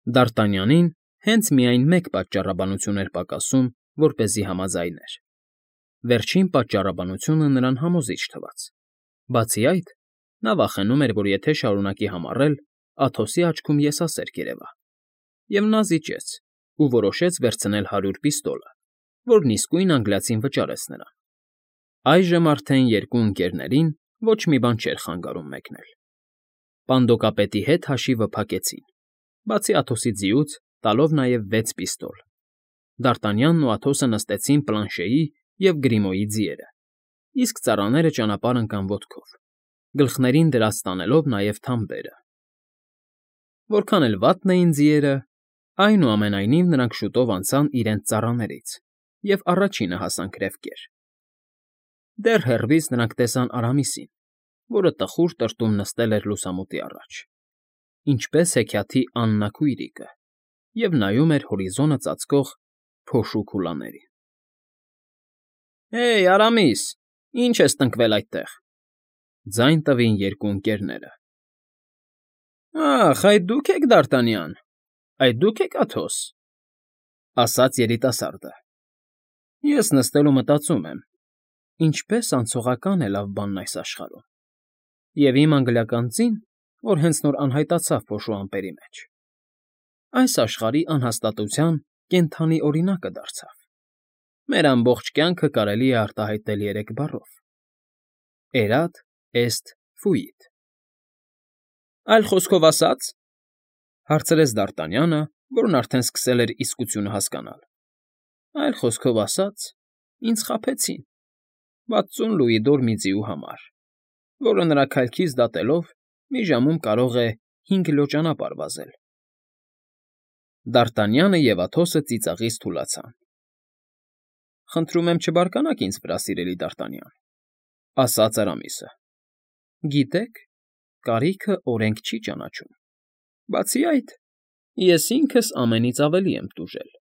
Դ'Արտանյանին հենց միայն մեկ պատճառաբանություն էր պակասում, որպեսզի համաձայներ. վերջին պատճառաբանությունը նրան համոզիչ թվաց. բացի այդ, նա վախենում էր, որ եթե շարունակի համառել, Աթոսի աչքում եսասեր կերևա, և նա զիջեց ու որոշեց վերցնել 100 պիստոլը, որն իսկույն անգլիացին վճարեց նրան։ Այժմ արդեն երկու ընկերներին ոչ մի բան չէր խանգարում մեկնել։ Պանդոկապետի հետ հաշիվը փակեցին, բացի Աթոսի ձիուց, տալով նաև 6 պիստոլ։ Դ'Արտանյանն ու Աթոսը նստեցին Պլանշեի և Գրիմոյի ձիերը, իսկ ծառաները ճանապարհ ընկան ոտքով, գլխներին դրած տանելով նաև թամբերը։ Որքան էլ վատն էին ձիերը, այնուամենայնիվ նրանք շուտով անցան իրենց ծառաներից և առաջինը հասան քրեֆկեր։ Դեռ հեռվից նրանք տեսան Արամիսին, որը տխուր տրտում նստել էր լուսամուտի առաջ, ինչպես հեքիաթի Աննա քույրիկը, և նայում էր հորիզոնը ծածկող փոշու քուլաներին։ «Հեյ, Արամիս, ի՞նչ ես տնկվել այդտեղ,֊ ձայն տվին երկու ընկերները։ Ախ, այդ դու՞ք եք Դ'Արտանյան, այդ դու՞ք եք Աթոս,֊ ասաց երիտասարդը։ Ես նստել ու մտածում եմ. ինչպես անցողական է լավ բանն այս աշխարհում, և իմ անգլիական ձին, որ հենց նոր անհայտացավ փոշու ամպերի մեջ, այս աշխարհի անհաստատության կենդանի օրինակը դարձավ։ Մեր ամբողջ կյանքը կարելի է արտահայտել 3 բառով. Էրադ, էստ, ֆուիտ։ Այլ խոսքով ասած,֊ հարցրեց Դ'Արտանյանը, որն արդեն սկսել էր իսկությունը հասկանալ,֊ այլ խոսքով ասած, ինձ խաբեցին 60 լուիդոր մի ձիու համար, որը նրա քայլքից դատելով մի ժամում կարող է 5 կիլո ճանապարհ վազել։ Դ'Արտանյանը և Աթոսը ծիծաղից թուլացան։ Խնդրում եմ չբարկանաք ինձ վրա, սիրելի Դ'Արտանյան,֊ ասաց Արամիսը։ Գիտեք, կարիքը օրենք չի ճանաչում։ Բացի այդ, ես ինքս ամենից ավելի եմ տուժել,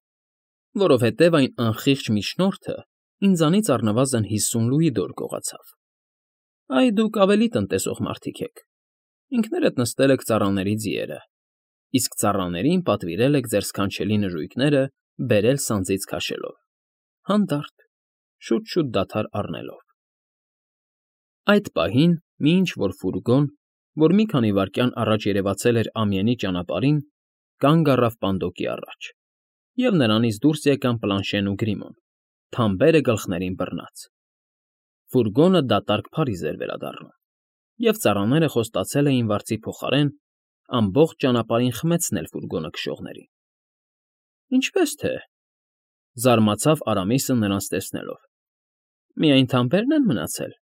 որովհետև այն անխիղճ միջնորդը ինձանից առնվազն 50 լուիդոր գողացավ։ Այ դուք ավելի տնտեսող մարդիկ եք, ինքներդ նստել եք ծառաների ձիերը, իսկ ծառաներին պատվիրել եք ձեր սքանչելի նժույգները բերել սանձից քաշելով, հանդարտ, շուտ֊շուտ դադար առնելով։ Այդ պահին մի ինչ֊որ ֆուրգոն, որ մի քանի վայրկյան առաջ երևացել էր ամյենի ճանապարհին, կանգ առավ պանդոկի առաջ, և նրանից դուրս եկան Պլանշեն ու Գրիմոն, թամբերը գլխներին բռնած։ Ֆուրգոնը դատարկ փարիզ էր վերադառնում, և ծառաները խոստացել էին վարձի փոխարեն ամբողջ ճանապարհին խմեցնել ֆուրգոնը քշողներին։ Ինչպե՞ս թե,֊ զարմացավ Արամիսը նրանց տեսնելով,֊ միայն թամբերն են մնացել։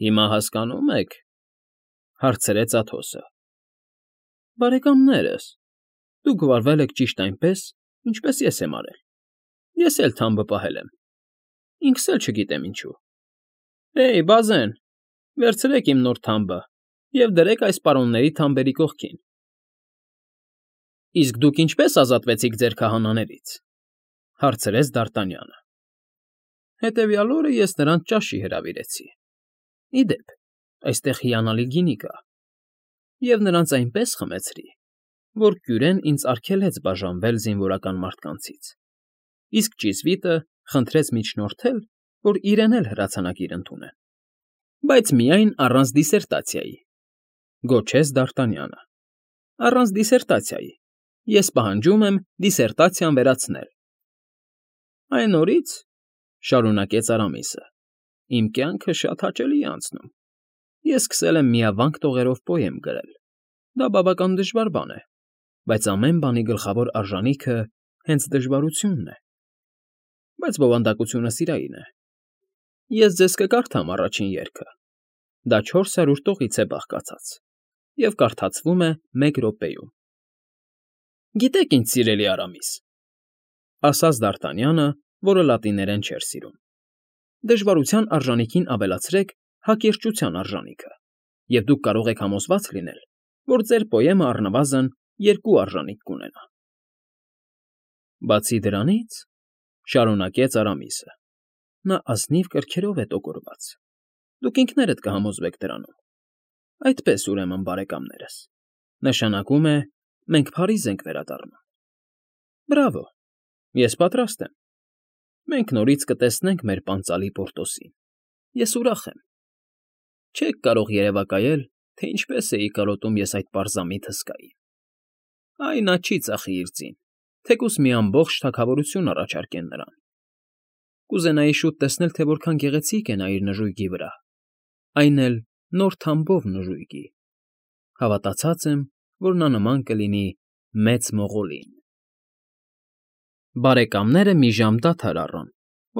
Հիմա հասկանո՞ւմ եք,֊ հարցրեց Աթոսը։ Բարեկամներս, դուք վարվել եք ճիշտ այնպես, ինչպես ես եմ արել։ Ես էլ թամբը պահել եմ, ինքս էլ չգիտեմ ինչու։ Հեյ, բազեն, վերցրեք իմ նոր թամբը և դրեք այս պարոնների թամբերի կողքին։ Իսկ դուք ինչպե՞ս ազատվեցիք ձեր քահանաներից,֊ հարցրեց Դ'Արտանյանը։ Հետևյալ օրը ես նրանց ճաշի հրավիրեցի։ Ի դեպ, այստեղ հիանալի գինի կա, և նրանց այնպես խմեցրի, որ կյուրեն ինձ արգելեց բաժանվել զինվորական մարդկանցից, իսկ ճիզվիտը խնդրեց միջնորդել, որ իրեն էլ հրացանակիր ընդունեն, բայց միայն առանց դիսերտացիայի,֊ գոչեց Դ'Արտանյանը։ Առանց դիսերտացիայի, ես պահանջում եմ դիսերտացիան վերացնել։ Այն օրից,֊ շարունակեց Արամիսը,֊ իմ կյանքը շատ հաճելի է անցնում։ Ես սկսել եմ միավանք տողերով պոեմ գրել։ Դա բավական դժվար բան է, բայց ամեն բանի գլխավոր արժանիքը հենց դժվարությունն է։ Բայց բովանդակությունը սիրային է։ Ես ձեզ կկարդամ առաջին երգը։ Դա 400 տողից է բաղկացած և կարդացվում է 1 րոպեում։ Գիտեք ինչ, սիրելի Արամիս,֊ ասաց Դ'Արտանյանը, որը լատիներեն չէր սիրում,֊ դժվարության արժանիքին ավելացրեք հակիրճության արժանիքը, և դուք կարող եք համոզված լինել, որ ձեր պոեմը առնվազն 2 արժանիք կունենա։ Բացի դրանից,֊ շարունակեց Արամիսը,֊ նա ազնիվ կրքերով է տոգորված։ Դուք ինքներդ կհամոզվեք դրանում։ Այդպես, ուրեմն, բարեկամներս, նշանակում է, մենք Փարիզ ենք վերադառնում։ Բրավո, ես պատրաստ եմ։ Մենք նորից կտեսնենք մեր պանծալի Պորտոսին։ Ես ուրախ եմ։ Չեք կարող երևակայել, թե ինչպես էի կարոտում ես այդ պարզամիտ հսկային։ Այ նա չի ծախի իր ձին, թեկուզ մի ամբողջ թագավորություն առաջարկեն նրան։ Կուզենայի շուտ տեսնել, թե որքան գեղեցիկ է նա իր նժույգի վրա, այն էլ նոր թամբով նժույգի։ Հավատացած եմ, որ նա նման կլինի Մեծ Մողոլին։ Բարեկամները մի ժամ դադար առան,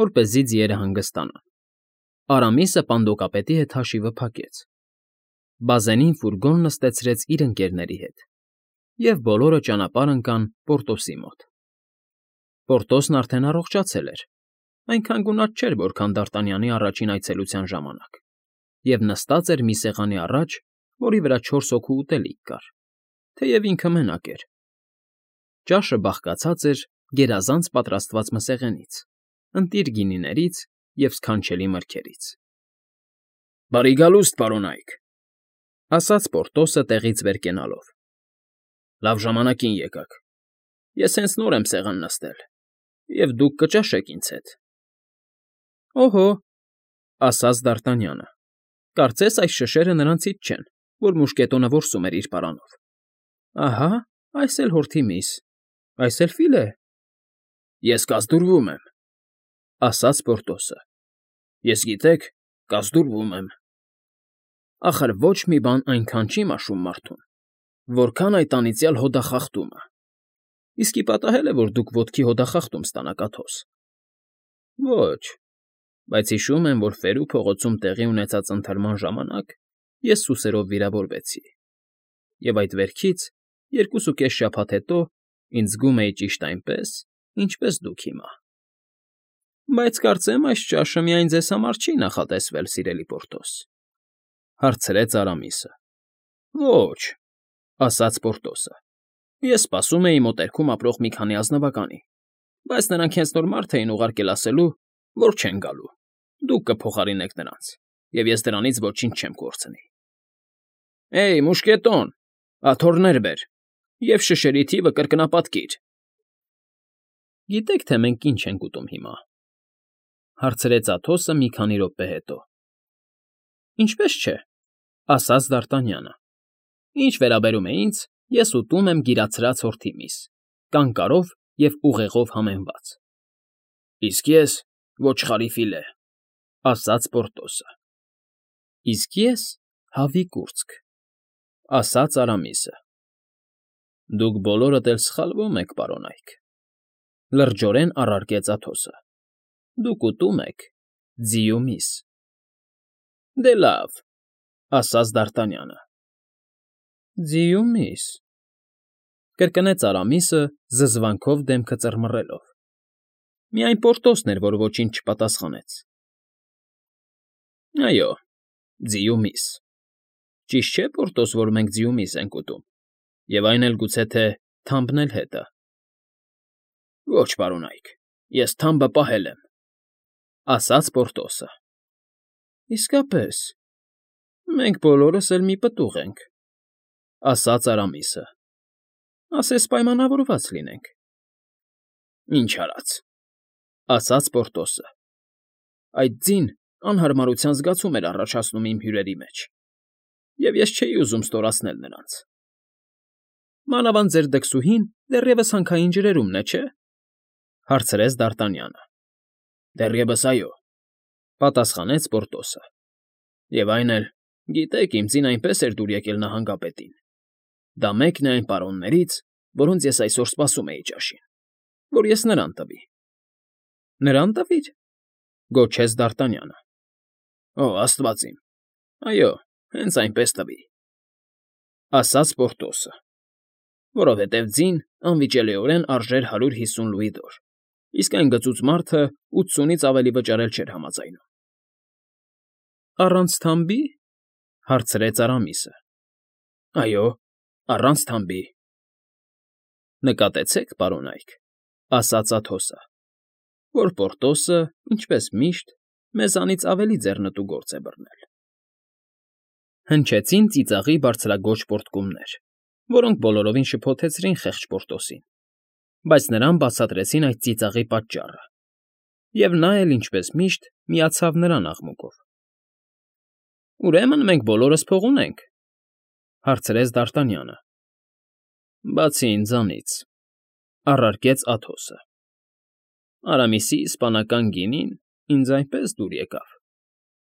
որպեսզի ձիերը հանգստանան։ Արամիսը պանդոկապետի հետ հաշիվը փակեց։ Բազենին ֆուրգոն նստեցրեց իր ընկերների հետ, և բոլորը ճանապարհ ընկան Պորտոսի մոտ։ Պորտոսն արդեն առողջացել էր, այնքան գունատ չէր, որքան Դարտանյանի առաջին այցելության ժամանակ, և նստած էր մի սեղանի առաջ, որի վրա 4 հոգու ուտելիք կար, թեև ինքը մենակ էր։ Ճաշը բաղկացած էր գերազանց պատրաստված մսեղենից, ընտիր գինիներից և սքանչելի մրգերից։ «Բարի գալուստ, պարոնայք», ֊ ասաց Պորտոսը տեղից վեր կենալով։ «Լավ ժամանակին եկաք։ Ես հենց նոր եմ սեղան նստել, և դուք կճաշեք ինձ հետ»։ «Օհո», ֊ ասաց Դարտանյանը, կարծես այս շշերը նրանցից չեն, որ մուշկետոնը որսում էր իր պարանով։ «Ահա, այս էլ հորթի միս, այս էլ ֆիլե»։ «Ես կազդուրվում եմ», ֊ ասաց Պորտոսը։ «Ես, գիտեք, կազդուրվում եմ։ Ախր ոչ մի բան այնքան չի մաշում մարդուն, որքան այդ անիծյալ հոդախախտումը։ Իսկի պատահել է, որ դուք ոտքի հոդախախտում ստանաք, Աթոս։ Ոչ, բայց հիշում եմ, որ Ֆերու փողոցում տեղի ունեցած ընթրման ժամանակ ես սուսերով վիրավորվեցի, և այդ վերքից 2.5 շաբաթ հետո ինձ զգում էի ճիշտ այնպես, ինչպես դուք հիմա։ Բայց կարծեմ այս ճաշը միայն ձեզ համար չի նախատեսվել, սիրելի Պորտոս, ֊ հարցրեց Արամիսը։ Ոչ, ֊ ասաց Պորտոսը, ես սպասում էի մոտերքում ապրող մի քանի ազնվականի, բայց նրանք հենց նոր մարդ էին ուղարկել ասելու, որ չեն գալու, դուք կփոխարինեք նրանց, և ես դրանից ոչինչ չեմ կորցնի։ Էյ, մուշկետոն, աթոռներ բեր, և շշերի թիվը կրկնապատկիր։ Գիտեք, թե մենք ինչ ենք ուտում հիմա, ֊ հարցրեց Աթոսը մի քանի րոպե հետո։ Ինչպես չէ, ֊ ասաց Դարտանյանը։ Ինչ վերաբերում է ինձ, ես ուտում եմ գիրացրած հորթի միս, կանկարով և ուղեղով համեմված։ Իսկ ես ոչխարի ֆիլե, ֊ ասաց Պորտոսը։ Իսկ ես հավի կուրծք, ֊ ասաց Արամիսը։ Դուք բոլորդ էլ սխալվում եք, պարոնայք, ֊ լրջորեն առարկեց Աթոսը։ Դուք ուտում եք ձիու միս։ Դե լավ, ֊ ասաց Դարտանյանը։ Ձիու միս, ֊ կրկնեց Արամիսը զզվանքով դեմքը ծռմռելով։ Միայն Պորտոսն էր, որ ոչինչ չպատասխանեց։ Այո, ձիու միս։ Ճիշտ չէ, Պորտոս, որ մենք ձիու միս ենք ուտում, և այն էլ գուցե թե թամբն էլ հետը։ Ոչ, պարոնայք, ես թամբը պահել եմ, ֊ ասաց Պորտոսը։ Իսկապես, մենք բոլորս էլ մի պտուղ ենք, ֊ ասաց Արամիսը։ Ասես պայմանավորված լինենք։ Ինչ արած, ֊ ասաց Պորտոսը։ Այդ ձին անհարմարության զգացում էր առաջացնում իմ հյուրերի մեջ, և ես չէի ուզում ստորացնել նրանց։ Մանավանդ ձեր դքսուհին դեռևս հանքային ջրերումն է, չէ՞, ֊ հարցրեց Դարտանյանը։ Դեռևս այո, ֊ պատասխանեց Պորտոսը։ Եվ այն էլ, գիտեք, իմ ձին այնպես էր դուր եկել նահանգապետին։ Դա մեկն է այն պարոններից, որոնց ես այսօր սպասում էի ճաշին, որ ես նրան տվի։ Նրան տվիր, ֊ գոչեց Դարտանյանը։ Օ, աստված իմ, այո, հենց այնպես տվի, ֊ ասաց Պորտոսը, որովհետև ձին անվիճելիորեն արժեր 150 լուիդոր, իսկ այն գծուծ մարդը 80-ից ավելի վճարել չէր համաձայնում։ Առանց թամբի, ֊ հարցրեց Արամիսը։ Այո, առանց թամբի։ Նկատեցեք, պարոնայք, ֊ ասաց Աթոսը, որ Պորտոսը, ինչպես միշտ, մեզանից ավելի ձեռնտու գործ է բռնել։ Հնչեցին ծիծաղի բարձրագոչ պոռթկումներ։ որոնք բոլորովին շփոթեցրին խեղճ Պորտոսին, բայց նրան բացատրեցին այդ ծիծաղի պատճառը, և նա էլ, ինչպես միշտ, միացավ նրան աղմուկով։ ֊ Ուրեմն մենք բոլորս փող ունենք,֊ հարցրեց Դ'Արտանյանը։ ֊ Բացի ինձանից,֊ առարկեց Աթոսը։ Արամիսի իսպանական գինին ինձ այնպես դուր եկավ,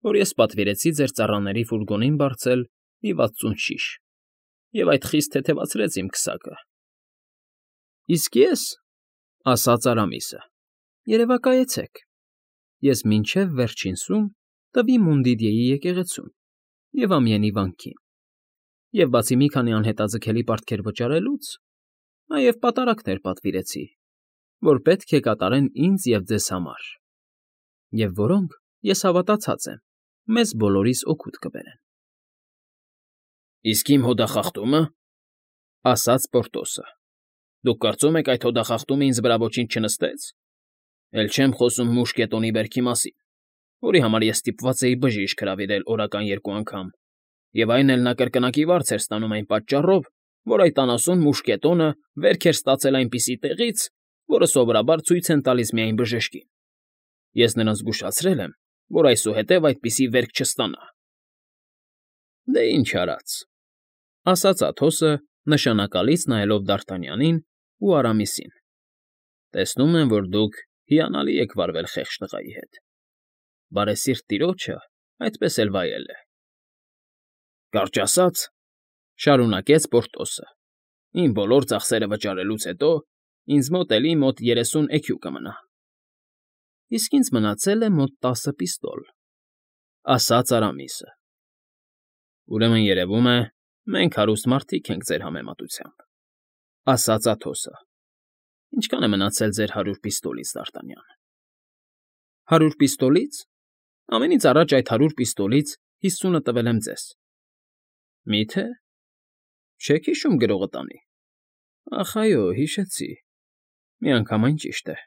որ ես պատվիրեցի ձեր ծառաների ֆուրգոնին բարձել մի 60 շիշ, և այդ խիստ թեթևացրեց իմ քսակը։ ֊ Իսկ ես,֊ ասաց Արամիսը,֊ երևակայեցեք, ես մինչև վերջին սուն տվի Մոնդիդեի եկեղեցուն և ամյենի վանքին, և բացի մի քանի անհետաձգելի պարտքեր վճարելուց, նաև պատարակներ պատվիրեցի, որ պետք է կատարեն ինձ և ձեզ համար, և որոնք, ես հավատացած եմ, մեզ բոլորիս օգուտ կբերեն։ ֊ Իսկ իմ հոդախախտումը,֊ ասաց Պորտոսը,֊ դուք կարծում եք այդ հոդախախտումը ինձ վրա ոչինչ չնստեց. էլ չեմ խոսում մուշկետոնի բերքի մասին, որի համար ես ստիպված էի բժիշկ հրավիրել օրական 2 անգամ, և այն էլ նա կրկնակի վարձ էր ստանում այն պատճառով, որ այդ անասուն մուշկետոնը վերք էր ստացել այնպիսի տեղից, որը սովորաբար ցույց են տալիս միայն բժշկին։ Ես նրան զգուշացրել եմ, որ այսուհետև այդպիսի վերք չստանա։ ֊ Դե ինչ արած,֊ ասաց Աթոսը, նշանակալից նայելով Դ'Արտանյանին ու Արամիսին,֊ տեսնում եմ, որ դուք հիանալի եք վարվել խեղճ տղայի հետ, բարեսիրտ տիրոջը այդպես էլ վայել է։ ֊ Կարճ ասած,֊ շարունակեց Պորտոսը,֊ իմ բոլոր ծախսերը վճարելուց հետո ինձ մոտ էլի մոտ 30 էքյու կմնա։ ֊ Իսկ ինձ մնացել է մոտ 10 պիստոլ,֊ ասաց Արամիսը։ ֊ Ուրեմն երևում է, մենք հարուստ մարդիկ ենք ձեր համեմատությամբ,֊ ասաց Աթոսը։ ֊ Ինչքան է մնացել ձեր 100 պիստոլից, Դ'Արտանյան։ ֊ 100 պիստոլից… Ամենից առաջ այդ 100 պիստոլից 50-ը տվել եմ ձեզ։ ֊ Մի՞թե… Չեք հիշում գրողը տանի։ ֊ Ախ, այո, հիշեցի… Միանգամայն ճիշտ է…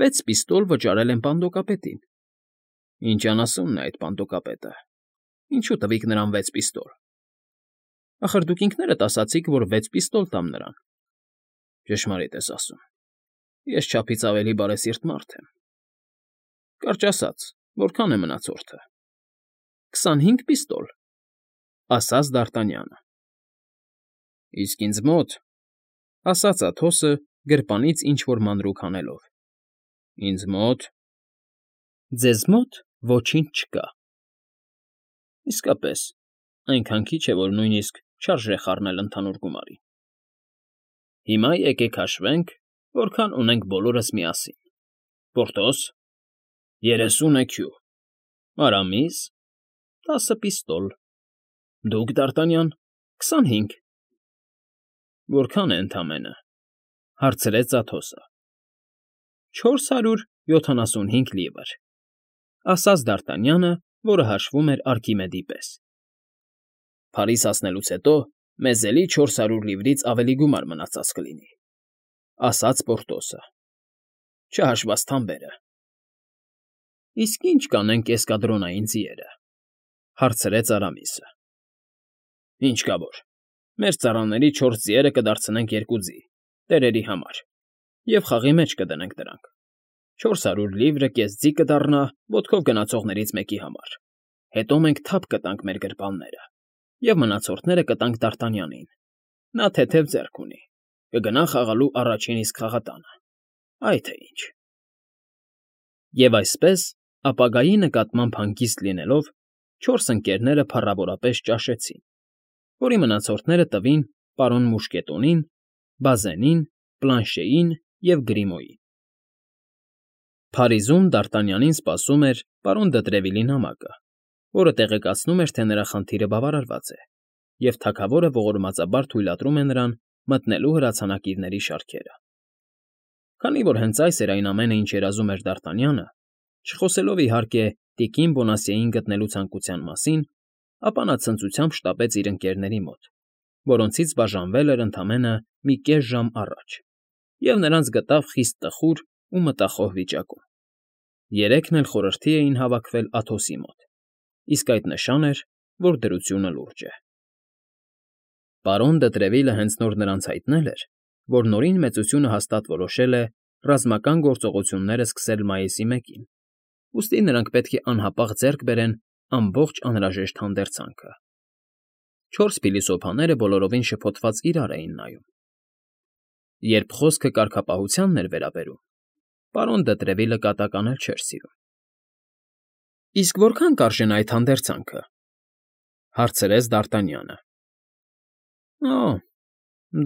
6 պիստոլ վճարել եմ պանդոկապետին։ ֊ Ինչ անասունն է այդ պանդոկապետը… Ինչու տվիք նրան 6 պիստոլ։ ֊ Ախր դուք ինքներդ ասացիք, որ 6 պիստոլ տամ նրան։ ֊ Ճշմարիտ ես ասում… Ես չափից ավելի բարեսիրտ մարդ եմ։ ֊ Կարճ ասած, որքան է մնացորդը։ ֊ 25 պիստոլ,֊ ասաց Դ'Արտանյանը։ ֊ Իսկ ինձ մոտ,֊ ասաց Աթոսը, գրպանից ինչ֊որ մանրուք հանելով,֊ ինձ մոտ… Ձեզ մոտ ոչինչ չկա։ ֊ Իսկապես, այնքան քիչ է, որ նույնիսկ չարժե խառնել ընդհանուր գումարի։ ֊ Հիմա եկեք հաշվենք, որքան ունենք բոլորս միասին. Պորտոս… 30 էքյու, Արամիս… 10 պիստոլ, դուք, Դ'Արտանյան… 25… Որքան է ընդամենը,֊ հարցրեց Աթոսը։ ֊ 475 լիվր,֊ ասաց Դ'Արտանյանը, որը հաշվում էր Արկիմեդի պես։ ֊ Փարիզ հասնելուց հետո մեզ էլի 400 լիվրից ավելի գումար մնացած կլինի,֊ ասաց Պորտոսը,֊ չհաշված թամբերը։ ֊ Իսկ ի՞նչ կանենք էսկադրոնային ձիերը,֊ հարցրեց Արամիսը։ ֊ Ինչ կա որ, մեր ծառաների 4 ձիերը կդարձնենք 2 ձի, տերերի համար, և խաղի մեջ կդնենք դրանք։ 400 լիվրը կես ձի կդառնա ոտքով գնացողներից մեկի համար, հետո մենք թափ կտանք մեր գրպանները և մնացորդները կտանք Դ'Արտանյանին. նա թեթև ձեռք ունի, կգնա խաղալու առաջին իսկ խաղատանը, այ թե ինչ։ Եվ այսպես, ապագայի նկատմամբ հանգիստ լինելով, 4 ընկերները փառավորապես ճաշեցին, որի մնացորդները տվին պարոն Մուշկետոնին, Բազենին, Պլանշեին և Գրիմոյին։ Փարիզում Դ'Արտանյանին սպասում էր պարոն Դը նամակը, որը տեղեկացնում էր, թե նրա խնդիրը բավարարված է, և թագավորը ողորմածաբար թույլատրում է նրան մտնելու հրացանակիրների շարքերը։ Քանի որ հենց այս էր այն ամենը, ինչ երազում էր Դ'Արտանյանը, չխոսելով, իհարկե, տիկին Բոնասիեին գտնելու ցանկության մասին, ապա նա ցնծությամբ շտապեց իր ընկերների մոտ, որոնցից բաժանվել էր ընդամենը մի կես ժամ առաջ, և նրանց գտավ խիստ տխուր ու մտախոհ վիճակում։ Երեքն էլ խորհրդի էին հավաքվել Աթոսի մոտ, իսկ այդ նշան էր, որ դրությունը լուրջ է։ Պարոն դը Տրևիլը հենց նոր նրանց հայտնել էր, որ նորին մեծությունը հաստատ որոշել է ռազմական գործողությունները սկսել մայիսի 1-ին, ուստի նրանք պետք է անհապաղ ձեռք բերեն ամբողջ անհրաժեշտ հանդերձանքը։ 4 փիլիսոփաները բոլորովին շփոթված իրար էին նայում։ Երբ խոսքը կարգապահությանն էր վերաբերում, պարոն դը Տրևիլը կատականել չէր սիրում։ Իսկ որքան կարժենա այդ հանդերձանքը, հարցրեց Դ'Արտանյանը։ Օ,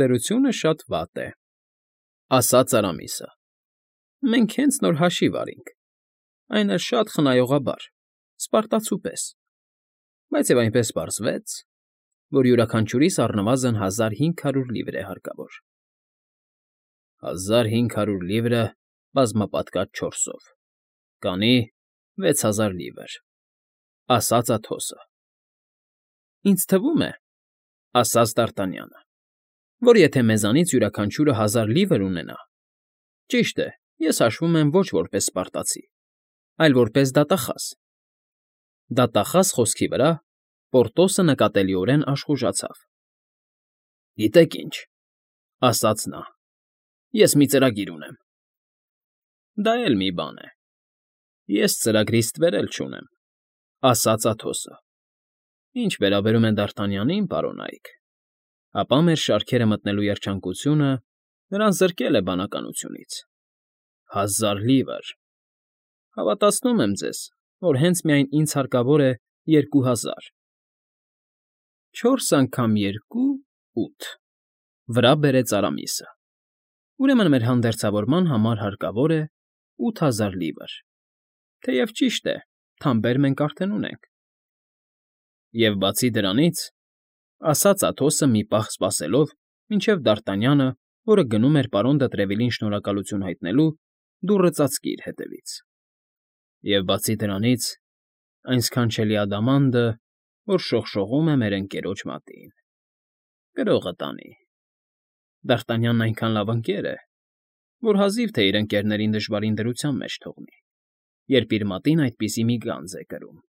դրությունը շատ վատ է, ասաց Արամիսը։ Մենք հենց նոր հաշիվ արինք, այն էլ շատ խնայողաբար, սպարտացու պես, բայց և այնպես պարզվեց, որ յուրաքանչյուրիս առնվազն 1500 լիվր է հարկավոր։ 1500 լիվրը բազմապատկած 4-ով, կանի 6000 լիվր, ասաց Աթոսը։ Ինձ թվում է, ասաց Դ'Արտանյանը, որ եթե մեզանից յուրաքանչյուրը 1000 լիվր ունենա, ճիշտ է, ես հաշվում եմ ոչ որպես սպարտացի, այլ որպես դատախազ։ Դատախազ խոսքի վրա Պորտոսը նկատելիորեն աշխուժացավ։ Գիտեք ինչ, ասաց նա, ես մի ծրագիր ունեմ։ Դա էլ մի բան է։ Ես ծրագրից ստվեր էլ չունեմ, ասաց Աթոսը։ Ինչ վերաբերում է Դ'Արտանյանին, պարոն Այք, ապա մեր շարքերը մտնելու երջանկությունը նրան զրկել է բանականությունից։ 1000 լիվր։ Հավատացնում եմ ձեզ, որ հենց միայն ինձ հարկավոր է 2000։ 4 անգամ 2 8, վրա բերեց Արամիսը։ Ուրեմն մեր հանդերձավորման համար հարկավոր է 8000 լիվր, թեև ճիշտ է, թամբեր մենք արդեն ունենք։ Եվ բացի դրանից, ասաց Աթոսը մի պահ սպասելով, մինչև Դ'Արտանյանը, որը գնում էր պարոն դը Տրևիլին շնորհակալություն հայտնելու, դուռը ծածկի իր հետևից։ Եվ բացի դրանից, այն սքանչելի ադամանդը, որ շողշողում է մեր ընկերոջ մատին, գրողը տանի։ Դ'Արտանյանն այնքան լավ ընկեր է, որ հազիվ թե իր ընկերներին դժվարին դրության մեջ թողնի, երբ իր մատին այդպիսի մի գանձ է կրում։